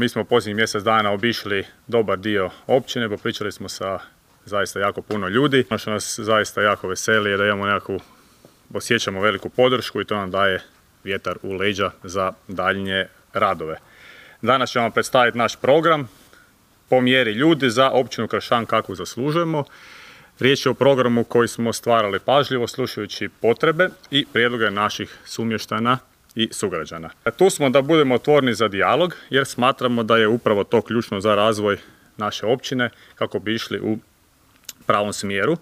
Mi smo posljednjih mjesec dana obišli dobar dio općine, popričali smo sa zaista jako puno ljudi. Ono što nas zaista jako veseli je da imamo osjećamo veliku podršku i to nam daje vjetar u leđa za daljnje radove. Danas ćemo vam predstaviti naš program po mjeri ljudi za općinu Kršan kakvu zaslužujemo. Riječ je o programu koji smo stvarali pažljivo, slušajući potrebe i prijedloge naših sumještana i sugrađana. Tu smo da budemo otvoreni za dijalog jer smatramo da je upravo to ključno za razvoj naše općine kako bi išli u pravom smjeru.